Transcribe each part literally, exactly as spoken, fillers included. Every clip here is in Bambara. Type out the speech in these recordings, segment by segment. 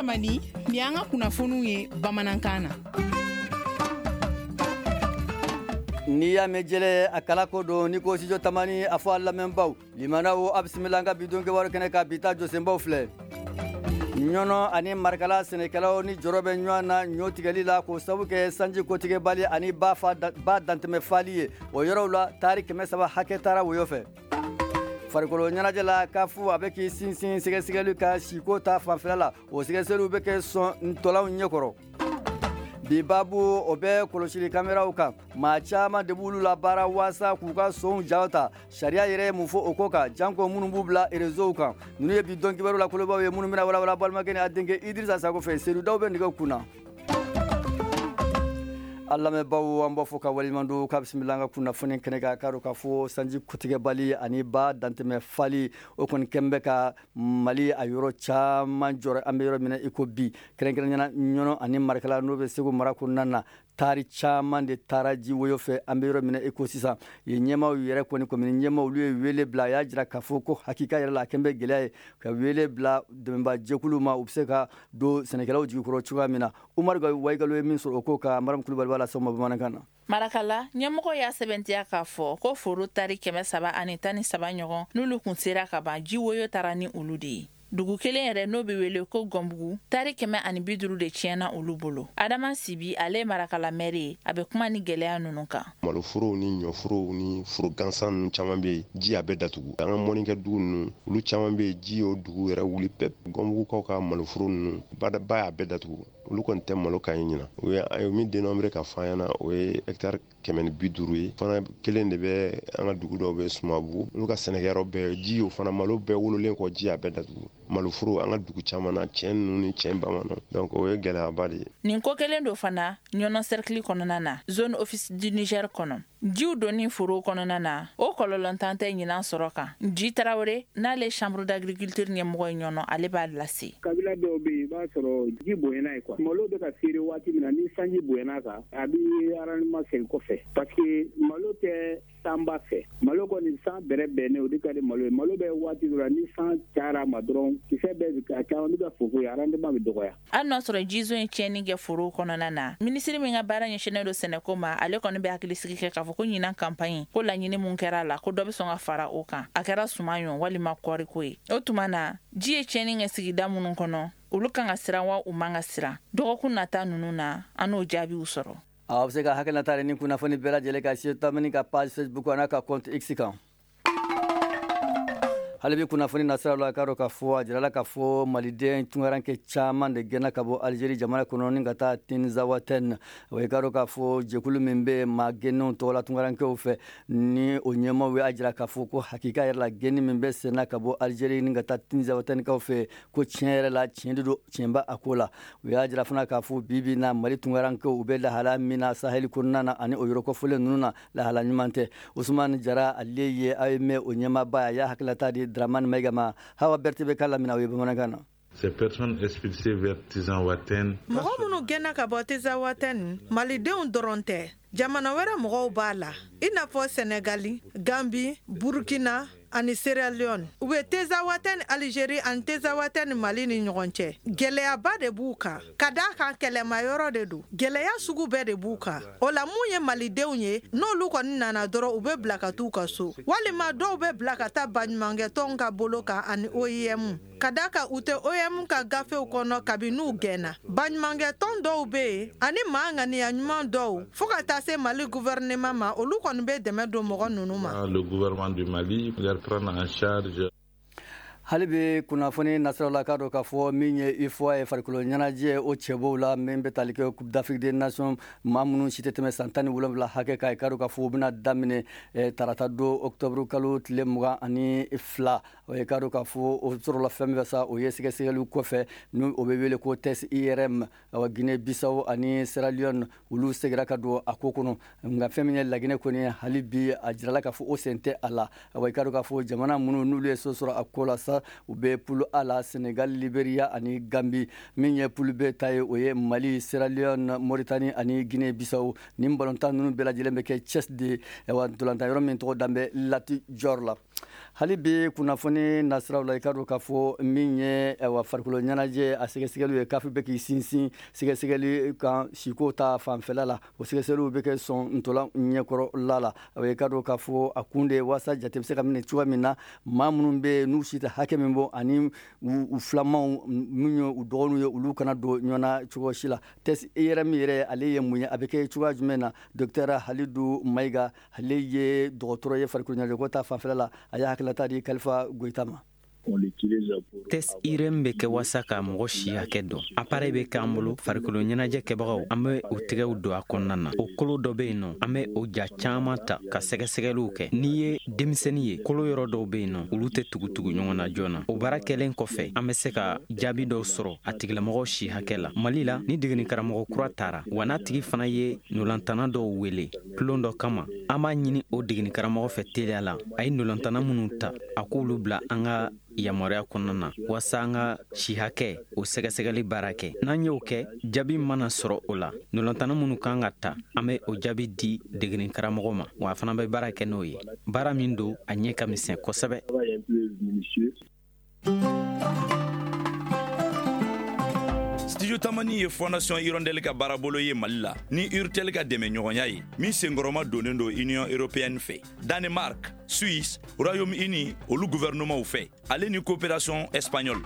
Tamani, ni an ka kunnafoniw ye bamanankan na. N'i y'a mɛn jɛlɛ, a kala ko don. Ni ko Studio Tamani, a fɔ a lamɛnbaw limanaw, a bisimila an ka bi don kibaru kɛnɛ kan. Bi ta jɔsenbaw filɛ: Ɲɔnɔ ani Marikala sɛnɛkɛlaw ni jɔrɔ bɛ ɲɔgɔn na ɲɔ tigɛli la, k'o sabu kɛ sanji kotigɛbali ani ba fa ba dantɛmɛ fali ye. O yɔrɔw la, taari kɛmɛ saba hakɛ taara woyo fɛ. Farikolo ɲɛnajɛ la, CAF a bɛ k'i sinsin sɛgɛsɛgɛli ka siko ta fanfɛla la. O sɛgɛsɛgɛliw bɛ kɛ sɔn ntɔlanw ɲɛkɔrɔ. Bi babu, o bɛ kɔlɔsili kameraw kan. Maa caman de b'olu la baara waasa k'u ka sonw jaw ta. Sariya yɛrɛ ye mun fɔ o ko kan, janko minnu b'u bila réseau kan? Ninnu ye bi dɔn kibaru la kolobaw ye, minnu bɛna walawala balimakɛ ni a denkɛ Idrissa Sako fɛ. Seydou Daw bɛ nɛgɛw kunna. An lamɛnbaw, an b'a fɔ ka waleɲuman don k'a bisimila an ka kunnafoni kɛnɛ kan. K'a dɔn k'a fɔ sanji kutigɛbali ani ba dantɛmɛ fali, o kɔni kɛn bɛ ka Mali a yɔrɔ caman jɔrɔ an bɛ yɔrɔ min na i ko bi, kɛrɛnkɛrɛnnenya Ɲɔnɔ ani Marikala, n'o bɛ Segu mara kɔnɔna na. Taari caman de taara ji woyo fɛ an bɛ yɔrɔ min na i ko sisan. Yen ɲɛmaaw yɛrɛ kɔni, komini ɲɛmaaw, olu ye wele bila. A y'a jira k'a fɔ ko hakika yɛrɛ la, a kɛn bɛ gɛlɛya ye, ka wele bila dɛmɛba jɛkulu ma, u bɛ se ka don sɛnɛkɛlaw jigi kɔrɔ cogoya min na. Umaru Wayigalo ye min sɔrɔ o ko kan, Mariam Kulubali b'a lase aw ma bamanankan na. Marakala ɲɛmɔgɔ y'a sɛbɛntiya k'a fɔ ko foro tari kɛmɛ saba ani tan ni saba ɲɔgɔn, n'olu kun sera ka ban, ji woyo taara ni olu de ye. Dugu kelen yɛrɛ, n'o bɛ wele ko Gɔnbugu, tari kɛmɛ ani bi duuru de tiɲɛna olu bolo. Adama Sibi, ale Marakala mɛri ye, a bɛ kuma ni gɛlɛya ninnu kan. Maloforow ni ɲɔforow ni foro gansan ninnu caman bɛ yen, ji a bɛɛ datugu. An ka mɔnikɛ dugu ninnu, olu caman bɛ yen, ji y'o dugu yɛrɛ wuli pep. Gɔnbugukaw ka maloforo ninnu, ba y'a bɛɛ datugu. Olu kɔni tɛ malo ka ɲi ɲina. O ye an ye min dénombré ka fɔ an ɲɛna, o ye hectare kɛmɛ ni bi duuru ye. Fana kelen de bɛ an ka dugu dɔw bɛ Sumabugu, olu ka sɛnɛkɛyɔrɔ bɛɛ ji y'o fana malo bɛɛ wololen kɔ, ji y'a bɛɛ datugu. Maloforo an ka dugu caman na, cɛn ninnu ni cɛn bamanan, donc o ye gɛlɛyaba de ye. Nin ko kelen don fana Ɲɔnɔ cercle kɔnɔna na, zone Office du Niger kɔnɔ. Jiw donni foro kɔnɔna na, o kɔlɔlɔntan tɛ ɲinan sɔrɔ kan. Ji Tarawele, n'ale chambre d'agriculture ɲɛmɔgɔ ye Ɲɔnɔ, ale b'a lase. Kabila dɔw bɛ yen, i b'a sɔrɔ ji bonyana ye quoi. Malo bɛ ka feere waati min na, ni sanji bonyana kan, a bɛ rendement segin kɔfɛ, parce que malo tɛ sanba fɛ. Malo kɔni, san bɛrɛ bɛnnen, o de ka di malo ye. Malo bɛ waati dɔ la, ni san cayara ma dɔrɔn, kisɛ bɛɛ a caman bɛ ka fofo ye, rendement bɛ dɔgɔya. Hali n'a sɔrɔ jizo ye tiɲɛni kɛ forow kɔnɔna na, minisiri min ka baara ɲɛsinnen don sɛnɛko ma, ale kɔni bɛ hakilisigi kɛ k'a fɔ ko ɲinan campagne ko laɲini mun kɛra a la, ko dɔ bɛ sɔn ka fara o kan, a kɛra suman ye walima kɔɔriko ye. O tuma na, ji ye tiɲɛni kɛ sigida minnu kɔnɔ, olu kan ka siran wa u man ka siran? Dɔgɔkun nata ninnu na, an n'o jaabiw sɔrɔ. Aw bɛ se ka hakilinata ni kunnafoni bɛɛ lajɛlen ka Studio Tamani ka page Facebook n'a ka compte X kan. Hali bi kunnafoni nasiraw la, k'a dɔn k'a fɔ a jirala k'a fɔ maliden tunkarankɛ caman de gɛnna ka bɔ Alizeri jamana kɔnɔ ni ka taa Tinzawatɛn. O ye k'a dɔn k'a fɔ jɛkulu min bɛ maa gɛnnenw tɔgɔ la tunkarankɛw fɛ, ni o ɲɛmaaw y'a jira k'a fɔ ko hakika yɛrɛ la, gɛnni min bɛ senna ka bɔ Alizeri ni ka taa Tinzawatɛnkaw fɛ, ko tiɲɛ yɛrɛ la, tiɲɛ de don, tiɲɛ b'a a ko la. U y'a jira fana k'a fɔ bi bi na, Mali tunkarankɛw, u bɛ lahala min na Saheli kɔnɔna na ani o yɔrɔ kɔfɔlen ninnu na, lahala ɲuman tɛ. Usumani Jara, ale ye A M o ɲɛmaaba ye, a y'a hakililata di Dramane Maïga ma. Hawa Berté bɛ k'a lamina o ye bamanankan na. Ces personnes expulsées vers Tinzaouaten. Mɔgɔ minnu gɛnna ka bɔ Tinzaouaten, malidenw dɔrɔn tɛ, jamana wɛrɛ mɔgɔw b'a la, i n'a fɔ Sɛnɛgali, Gambi, Burukina ani Sierra Leone. U bɛ Tinzaouaten Alizeri ani Tinzaouaten Mali ni ɲɔgɔn cɛ. Gɛlɛyaba de b'u kan, ka d'a kan kɛlɛmayɔrɔ de don, gɛlɛya sugu bɛɛ de b'u kan. O la, mun ye malidenw ye, n'olu kɔni nana dɔrɔn, u bɛ bila ka t'u ka so, walima dɔw bɛ bila ka taa baɲumankɛtɔnw ka bolo kan ani O I M, ka d'a kan u tɛ O I M ka gafew kɔnɔ kabi n'u gɛnna. Baɲumankɛtɔn dɔw bɛ yen ani maa ŋaniya ɲuman dɔw, fo ka taa se Mali gouvernement ma, olu kɔni bɛ dɛmɛ don mɔgɔ ninnu ma. Le gouvernement du Mali leur prendre en charge. Hali bi kunnafoni nasiraw la, k'a dɔn k'a fɔ min ye UFOA ye, farikolo ɲɛnajɛ o cɛbɔw la, min bɛ tali kɛ Coupe d'Afrique des Nations, maa minnu si tɛ tɛmɛ san tan ni wolonwula hakɛ kan, k'a dɔn k'a fɔ u bɛna daminɛ tarata don, octobre kalo tile mugan ani fila. O ye k'a dɔn k'a fɔ o sɔrɔla fɛn min fɛ sa, o ye sɛgɛsɛgɛliw kɔfɛ, ni o bɛ wele ko test I R M. Awa, Guinée Bissau ani Sierra Leone, olu seginna ka don a ko kɔnɔ, nka fɛn min ye Laginɛ kɔni, hali bi a jirala k'a fɔ o sen tɛ a la. Awa, i k'a dɔn k'a fɔ jamana minnu n'olu ye so sɔrɔ a ko la sa. sa, u bɛ poule A la, Senegal, Liberia ani Gambie. Min ye poule B ta ye, o ye Mali, Sierra Leone, Mauritanie ani Guinée Bissau. Nin balontan ninnu bɛɛ lajɛlen bɛ kɛ Thiès de, ayiwa ntolantan yɔrɔ min tɔgɔ dan bɛ Lat Dior la. Hali bi kunnafoni nasiraw la, i ka dɔn k'a fɔ min ye ayiwa farikolo ɲɛnajɛ a sɛgɛsɛgɛliw ye, kafi bɛ k'i sinsin sɛgɛsɛgɛli kan siko ta fanfɛla la. O sɛgɛsɛgɛliw bɛ kɛ sɔn ntolan ɲɛkɔrɔla la. I ka dɔn k'a fɔ a kun de ye waasa jate bɛ se ka minɛ cogoya min na, maa minnu bɛ yen n'u si tɛ hakɛ min bɔ ani u filamanw minnu ye u dɔgɔninw ye, olu kana don ɲɔgɔn na cogo si la. Test I R M yɛrɛ, ale ye mun ye, a bɛ kɛ cogoya jumɛn na? Docteur Halidou Mayiga, ale ye dɔgɔtɔrɔ ye farikolo ɲɛnajɛko ta fanfɛla la, a y'a hakililata di Kalifa Goyita ma. Test I R M bɛ kɛ waasa ka mɔgɔ si hakɛ dɔn. Appareil bɛ k'an bolo, farikolo ɲɛnajɛ kɛbagaw, an bɛ o tɛgɛw don a kɔnɔna na. O kolo dɔ bɛ yen nɔ, an bɛ o ja caman ta ka sɛgɛsɛgɛliw kɛ. N'i ye denmisɛnnin ye, kolo yɔrɔ dɔw bɛ yen nɔ, olu tɛ tugutugu ɲɔgɔn na joona. O baara kɛlen kɔfɛ, an bɛ se ka jaabi dɔw sɔrɔ a tigilamɔgɔ si hakɛ la. Mali la, ni degeli karamɔgɔ kura taara, wa n'a tigi fana ye nolantana dɔw wele tulon dɔ kama, an b'a ɲini o degeli karamɔgɔ fɛ teliya la, a ye nolantana minnu ta, a k'olu bila an ka yamaruya kɔnɔna na, waasa an ka si hakɛ o sɛgɛsɛgɛli baara kɛ. N'an y'o kɛ, jaabi mana sɔrɔ o la, nolantana minnu kan ka ta, an bɛ o jaabi di degeli karamɔgɔ ma, wa a fana bɛ baara kɛ n'o ye. Baara min don, a ɲɛ ka misɛn kosɛbɛ. Studio Tamani ye Fondation Hirondelle ka baarabolo ye Mali la ni Urtel ka dɛmɛɲɔgɔnya ye, min senkɔrɔma donnen don Union européenne fɛ, Danemark, Suisse, Royaume-Uni olu gouvernement fɛ, ale ni coopération espagnole.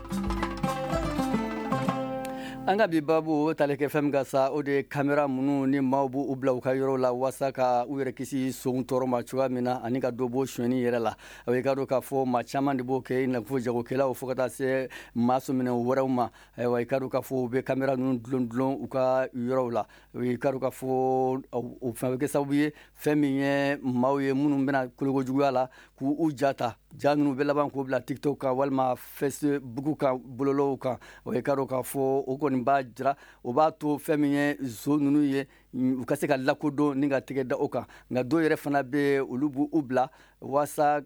An ka bi babu o tali kɛ fɛn min kan sa, o de ye kamera minnu ni maaw b'u bila u ka yɔrɔ la waasa ka u yɛrɛ kisi sonw tɔɔrɔ ma cogoya min na, ani ka dɔ bɔ sonyɛni yɛrɛ la. I ka dɔn k'a fɔ maa caman de b'o kɛ, i n'a fɔ jagokɛlaw fo ka taa se maa sɔminɛ wɛrɛw ma. Ayiwa, i ka dɔn k'a fɔ u bɛ kamera ninnu dulon dulon u ka yɔrɔw la. I ka dɔn k'a fɔ o fɛn bɛ kɛ sababu ye fɛn min ye maaw ye minnu bɛna kolokojuguya la k'u ja ta, ja ninnu bɛ laban k'o bila TikTok kan walima Facebook kan, bɔlɔlɔw kan. I ka dɔn k'a fɔ o kɔni b'a jira, o b'a to fɛn min ye zo ninnu ye u ka se ka lakodɔn ni ka tɛgɛ da o kan. Nka dɔw yɛrɛ fana bɛ, olu b'u bila waasa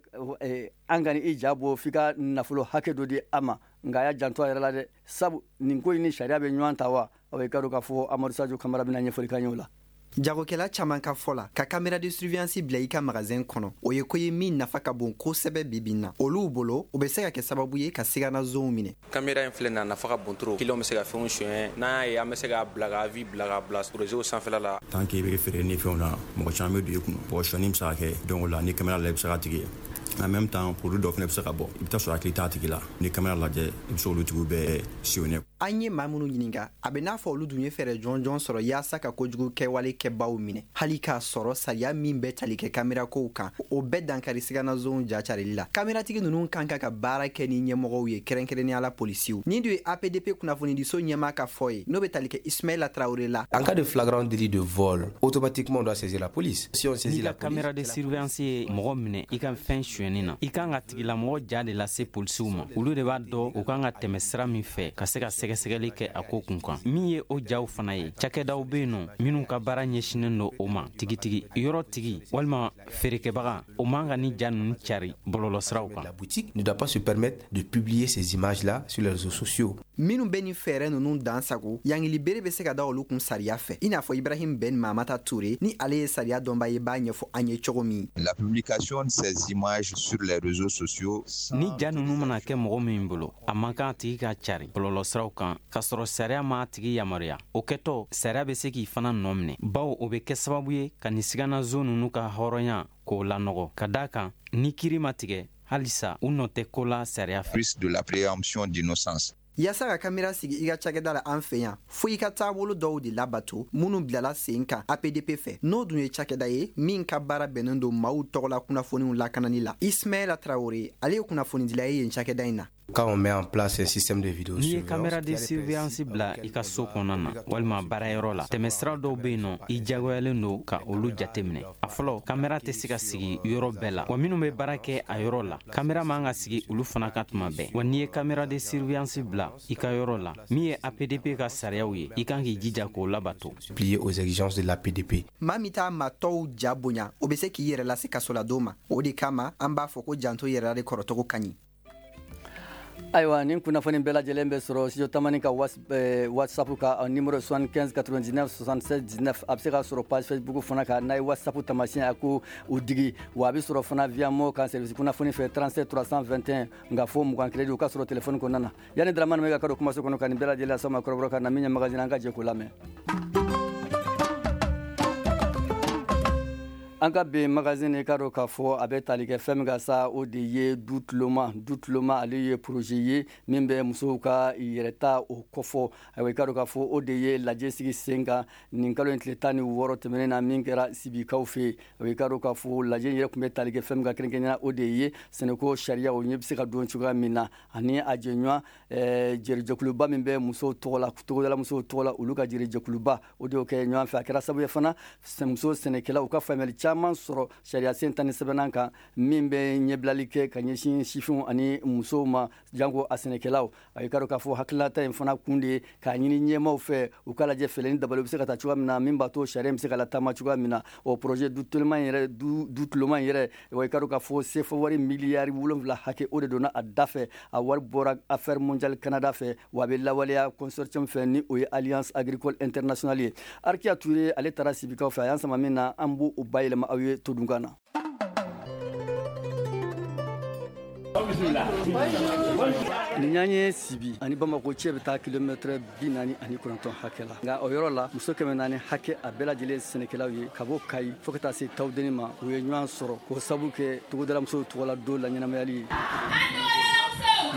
an ka i ja bɔ f'i ka nafolo hakɛ dɔ di a ma. Nka a y'a janto a yɛrɛ la dɛ, sabu nin ko in ni sariya bɛ ɲɔgɔn ta wa. I ka dɔn k'a fɔ Amadu Sajo Kamara bɛna ɲɛfɔli k'an ye o la. Jagokɛla caman ka fɔ la, ka caméra de surveillance bila i ka magasin kɔnɔ, o ye ko ye min nafa ka bon kosɛbɛ bi bi in na. Olu bolo, o bɛ se ka kɛ sababu ye ka siganazonw minɛ. Caméra in filɛ nin ye, a nafa ka bon trop. Client bɛ se ka fɛnw suɲɛ, n'an y'a ye, an bɛ se k'a bila ka avis bila ka bila réseau sanfɛla la. Tant que i bɛ feere ni fɛnw na, mɔgɔ caman bɛ don i kun. Bon, sonyɛni bɛ se ka kɛ, donc o la ni caméra la i bɛ se k'a tigi ye. En même temps, produit dɔ fana bɛ se ka bɔ, i bɛ taa sɔrɔ hakili t'a tigi la. Ni caméra lajɛ, i bɛ se olu tigiw bɛɛ sillonner. An ye maa minnu ɲininka, a bɛ n'a fɔ olu dun ye fɛɛrɛ jɔnjɔn sɔrɔ yaasa ka kojugu kɛwale kɛbaw minɛ, hali k'a sɔrɔ sariya min bɛ tali kɛ kamerakow kan, o bɛɛ dankari siganazonw jacarili la. Kameratigi ninnu kan ka ka baara kɛ ni ɲɛmɔgɔw ye, kɛrɛnkɛrɛnnenya la polisiw. Nin dun ye A P D P kunnafonidiso ɲɛmaa ka fɔ ye, n'o bɛ tali kɛ Ismaïla Traoré la. En cas de flagrant délit de vol, automatiquement on doit saisir la police. Si on saisit la police, caméra de surveillance ye mɔgɔ minɛ i ka fɛn sonyɛni na, i kan ka tigilamɔgɔ ja de lase polisiw ma. Olu de b'a dɔn u kan ka tɛmɛ sira min fɛ ka se ka sɛgɛsɛgɛli kɛ a ko kun kan. Min ye o jaw fana ye, cakɛdaw bɛ yen nɔ minnu ka baara ɲɛsinnen don o ma tigitigi. Yɔrɔ tigi walima feerekɛbaga, o man ka ni ja ninnu cari bɔlɔlɔsiraw kan. La boutique ne doit pas se permettre de publier ces images-là sur les réseaux sociaux. Minnu bɛ nin fɛɛrɛ ninnu dan sago, yangili bere bɛ se ka da olu kun sariya fɛ, i n'a fɔ Ibrahim Ben Mamata Touré, ni ale ye sariya dɔnba ye, b'a ɲɛfɔ an ye cogo min. La publication de ces images sur les réseaux sociaux. Ni ja ninnu mana kɛ mɔgɔ min bolo, a man kan a tigi ka cari bɔlɔlɔsiraw kan k'a sɔrɔ sariya m'a tigi yamaruya. O kɛtɔ, sariya bɛ se k'i fana nɔ minɛ, bawo o bɛ kɛ sababu ye ka nin siganazo ninnu ka hɔrɔnya k'o lanɔgɔ. Ka d'a kan, ni kiiri ma tigɛ halisa, u nɔ tɛ ko la sariya fɛ. Plus de la présomption d'innocence. Yaasa ka kamera sigi i ka cakɛda la an fɛ yan, fo i ka taabolo dɔw de labato minnu bilala sen kan A P D P fɛ, n'o dun ye cakɛda ye min ka baara bɛnnen don maaw tɔgɔla kunnafoniw lakanani la. Ismaïla Traoré, ale ye kunnafonidila ye yen cakɛda in na. Quand on met en place un système de vidéo n'i ye caméra de surveillance bila i ka so kɔnɔna na walima baarayɔrɔ la, tɛmɛsira dɔw bɛ yen nɔ i jagoyalen don ka olu jateminɛ. A fɔlɔ, kamera tɛ se ka sigi yɔrɔ bɛɛ la, wa minnu bɛ baara kɛ a yɔrɔ la, kamera man ka sigi olu fana ka tuma bɛɛ. Wa n'i ye caméra de surveillance bila i ka yɔrɔ la, min ye A P D P ka sariyaw ye, i kan k'i jija k'o labato. Plier aux exigences de l'A P D P. Maa min t'a maa tɔw ja bonya, o bɛ se k'i yɛrɛ lase kasoladon ma. O de kama an b'a fɔ ko janto yɛrɛ de kɔrɔtɔgɔ ka ɲi. Ayiwa, nin kunnafoni bɛɛ lajɛlen bɛ sɔrɔ Studio Tamani ka WhatsApp ka numéro soixante-quinze quatre-vingt-dix-neuf soixante-seize dix-neuf. A bɛ se ka sɔrɔ page Facebook fana kan, n'a ye WhatsApp taamasiyɛn a ko o digi. Wa a bɛ sɔrɔ fana via Mo kan service kunnafoni fɛ trente-sept trois cent vingt et un, nka fo mugan crédit o ka sɔrɔ téléphone kɔnɔna na. Yanni Dramane Maiga ka don kumaso kɔnɔ ka nin bɛɛ lajɛlen lase aw ma kɔrɔbɔrɔ kan na, min ye magazine, an ka jɛ k'o lamɛn. An ka bi magazine, ka dɔn k'a fɔ a bɛ tali kɛ fɛn min ka sa, o de ye du tuloma. Du tuloma, ale ye projet ye min bɛ musow ka yɛrɛta o kɔfɔ. Ayiwa, i ka dɔn k'a fɔ o de ye lajɛ sigi sen kan nin kalo in tile tan ni wɔɔrɔ tɛmɛnen na, min kɛra Sibikaw fɛ yen. Ayiwa, i ka dɔn k'a fɔ lajɛ yɛrɛ tun bɛ tali kɛ fɛn min ka kɛrɛnkɛrɛnnenya, o de ye sɛnɛko sariya o ɲɛ bɛ se ka don cogoya min na, ani a jɛɲɔgɔn jɛrijɛkuluba min bɛ musow tɔgɔ la, togodala musow tɔgɔ la, olu ka jɛrijɛkuluba, o de y'o kɛ ɲɔgɔn fɛ. A kɛra sababu ye fana, muso sɛnɛkɛlaw u ka faamuyali caman sɔrɔ sariya sen tan ni sɛbɛnnan kan, min bɛ ɲɛbilali kɛ ka ɲɛsin sifinw ani musow ma, janko a sɛnɛkɛlaw. A ye ka dɔn k'a fɔ hakilinata in fana kun de ye k'a ɲini ɲɛmaw fɛ, u k'a lajɛ fɛɛrɛ ni dabali bɛ se ka ta cogoya min na, min b'a to sariya in bɛ se ka lataama cogoya min na. O projet du tuloma in yɛrɛ, du du tuloma in yɛrɛ, wa i ka dɔn k'a fɔ C F A wari miliyari wolonwula hakɛ, o de donna a da fɛ. A wari bɔra Affaire mondiale Canada fɛ, wa a bɛ lawaleya consortium fɛ, ni o ye Alliance agricole internationale ye. Arkia Touré, ale taara Sibikaw fɛ, a y'an sama min na, an b'o o bayɛlɛma aw ye todunkan na. Nin y'an ye Sibi ani Bamako cɛ bɛ taa kilomɛtɛrɛ bi naani ani kɔnɔntɔn hakɛ la. Nka o yɔrɔ la, muso kɛmɛ naani hakɛ, a bɛɛ lajɛlen sɛnɛkɛlaw ye, ka bɔ Kayi fo ka taa se Tawudeni ma, u ye ɲɔgɔn sɔrɔ k'o sabu kɛ togodala musow tɔgɔla don la ɲɛnamayali ye.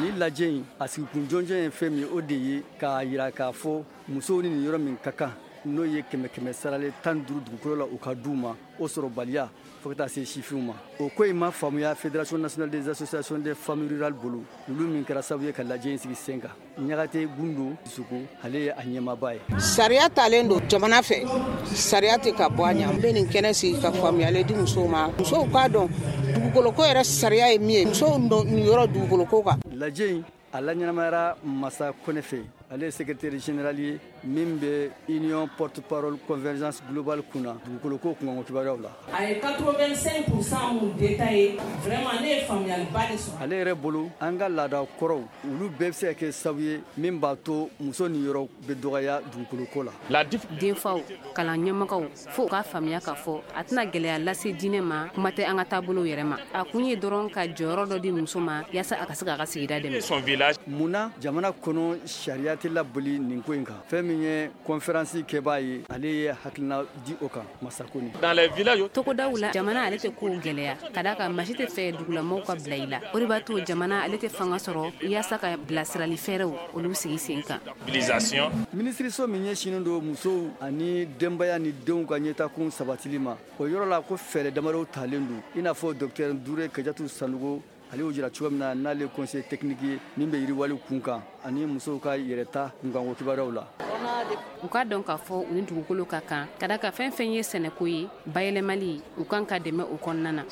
Ni lajɛ in, a sigikun jɔnjɔn ye fɛn min ye, o de ye k'a yira k'a fɔ musow ni nin yɔrɔ min ka kan, n'o ye kɛmɛ kɛmɛ saralen tan duuru dugukolo la, u ka d'u ma, o sɔrɔbaliya, fo ka taa se sifinw ma. O ko in ma faamuya Fédération nationale des associations des femmes rurales bolo, olu min kɛra sababu ye ka lajɛ in sigi sen kan. Ɲagate Gundo Suko, ale ye a ɲɛmaaba ye. Sariya talen don jamana fɛ, sariya tɛ ka bɔ a ɲɛ. N bɛ nin kɛnɛ sigi ka faamuyali di musow ma, musow k'a dɔn dugukoloko yɛrɛ sariya ye min ye, musow niyɔrɔ dugukoloko kan. Lajɛ in, a laɲɛnamayara Masa Kɔnɛ fɛ, ale ye secrétaire général ye min bɛ Union porte parole convergence globale kunna dugukoloko kunkanko kibaruyaw la. A ye quatre-vingt-cinq pour cent mun détaillé, vraiment ne ye faamuyaliba de sɔrɔ. Ale yɛrɛ bolo, an ka laada kɔrɔw, olu bɛɛ bɛ se ka kɛ sababu ye min b'a to muso niyɔrɔ bɛ dɔgɔya dugukoloko la. Denfaw, kalan ɲɛmɔgɔw, fo u k'a faamuya k'a fɔ a tɛna gɛlɛya lase diinɛ ma, kuma tɛ an ka taabolow yɛrɛ ma. A kun ye dɔrɔn ka jɔyɔrɔ dɔ di muso ma, yaasa a ka se k'a ka sigida dɛmɛ. Munna jamana kɔnɔ sariya tɛ laboli nin ko in kan? Fɛn min ye conférence kɛbaa ye, ale ye hakilina di o kan, Masakoni. Togodaw la, jamana ale tɛ kow gɛlɛya, ka d'a kan maa si tɛ fɛ dugulamɔgɔw ka bila i la. O de b'a to jamana ale tɛ fanga sɔrɔ yaasa ka bilasirali fɛɛrɛw olu sigi sen kan. Minisiriso min ɲɛsinnen don musow ani denbaya ni denw ka ɲɛtakun sabatili ma, o yɔrɔ la ko fɛɛrɛ damadɔw talen don, i n'a fɔ docteur Dure Kajatu Sanogo, ale y'o jira cogo min na, n'ale conseiller technique ye min bɛ yiriwali kun kan ani musow ka yɛrɛta kunkanko kibaruyaw la. U k'a dɔn k'a fɔ u ni dugukolo ka kan, ka da ka fɛn fɛn ye sɛnɛko ye, bayɛlɛmali, u kan ka dɛmɛ o kɔnɔna na.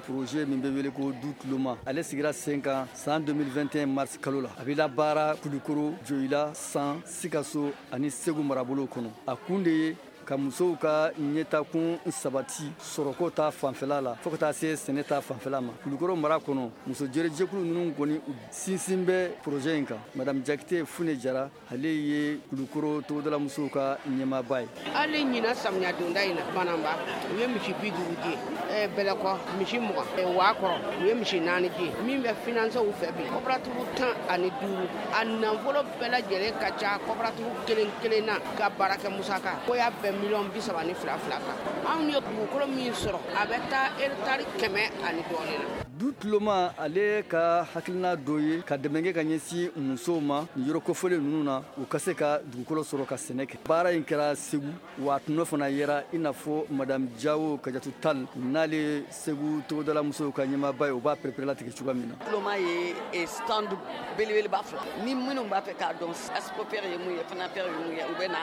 Projet min bɛ wele ko du tuloma, ale sigira sen kan san deux mille vingt et un mars kalo la. A bɛ labaara Kulukoro, Joyila, San, Sikaso ani Segu marabolo kɔnɔ. A kun de ye ka musow ka ɲɛtakun sabati sɔrɔko ta fanfɛla la, fo ka taa se sɛnɛ ta fanfɛla ma. Kulukoro mara kɔnɔ, muso jɛrɛjɛkulu ninnu kɔni sinsin bɛ projet in kan. Madame Jakite Fune Jara, ale ye Kulukoro togodala musow ka ɲɛmaaba ye. Hali ɲinan samiya donda in na, Bananba, u ye misi bi duuru di, Bɛlɛkɔ misi mugan, waa kɔrɔ u ye misi naani di. Min bɛ financer u fɛ bi, coopérative tan ani duuru, a nafolo bɛɛ lajɛlen ka ca coopérative kelen kelen na ka baarakɛ musaka ko y'a bɛn miliyɔn bi saba ni fila fila kan. Anw ye dugukolo min sɔrɔ, a bɛ taa hectare kɛmɛ ani dɔɔnin na. Du tuloma, ale ka hakilina dɔ ye ka dɛmɛ kɛ ka ɲɛsin musow ma nin yɔrɔ kofɔlen ninnu na, u ka se ka dugukolo sɔrɔ ka sɛnɛ kɛ. Baara in kɛra Segu, wa a tɔnɔ fana yera, i n'a fɔ madame Jawo Kajatu Tal, n'ale Segu togodala musow ka ɲɛmaaba ye, o b'a pereperelatigɛ cogoya min na. Tuloma ye stand belebeleba fila ni minnu b'a fɛ k'a dɔn ASPOFER ye mun ye, FANAFER ye mun ye, u bɛ na,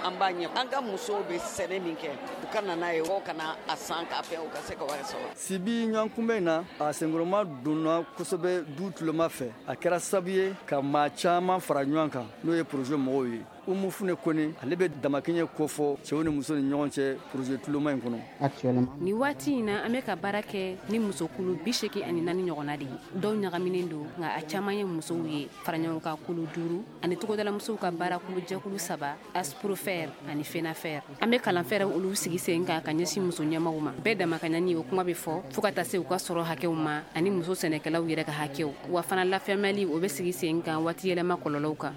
an b'a ɲɛ. An ka musow bɛ sɛnɛ min kɛ, u ka na n'a ye, u kana a san k'a fɛ, u ka se ka wari sɔrɔ. Sibi ɲɔgɔnkunbɛn in na, a senkɔrɔma donna kosɛbɛ du tuloma fɛ. A kɛra sababu ye ka maa caman fara ɲɔgɔn kan, n'o ye projet mɔgɔw ye. Umu Fune Kone, ale bɛ damakɛɲɛ kofɔ cɛw ni muso ni ɲɔgɔn cɛ projet tuloma in kɔnɔ. Nin waati in na, an bɛ ka baara kɛ ni musokulu bi seegin ani naani ɲɔgɔnna de ye. Dɔw ɲagaminen don, nka a caman ye musow ye. Faraɲɔgɔnkan kulu duuru ani togodalamusow ka baarakulu jɛkulu saba, Asprofer ani Fenafer. An bɛ kalanfɛɛrɛ olu sigi sen kan ka ɲɛsin muso ɲɛmaw ma. Bɛɛ damakaɲani o kuma bɛ fɔ fo ka taa se u ka sɔrɔ hakɛw ma ani muso sɛnɛkɛlaw yɛrɛ ka hakɛw. Wa fana lafɛnmɛli o bɛ sigi sen kan waati yɛlɛma kɔlɔlɔw kan.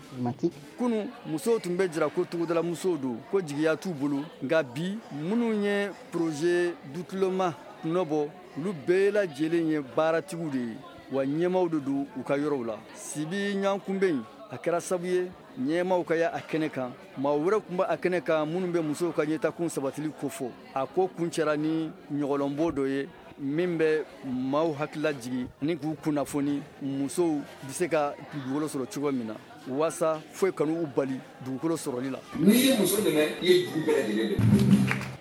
Kunu musow tun bɛ jira ko togodala musow don, ko jigiya t'u bolo, nka bi minnu ye projet dutuloma nɔbɔ, olu bɛɛ lajɛlen ye baaratigiw de ye, wa ɲɛmaw de don u ka yɔrɔw la. Sibi ɲɔgɔnkunbɛn a kɛra sabu ye ɲɛmaw ka ya a kɛnɛ kan, maa wɛrɛ tun bɛ a kɛnɛ kan minnu bɛ musow ka ɲɛtakun sabatili kofɔ. A ko kuncɛra ni ɲɔgɔlɔnbɔ dɔ ye min bɛ maaw hakilila jigin ani k'u kunnafoni musow bɛ se ka dugukolo sɔrɔ cogo min na, waasa foyi kan'u bali dugukolo sɔrɔli la. N'i ye muso dɛmɛ, i ye dugu bɛɛ lajɛlen dɛmɛ.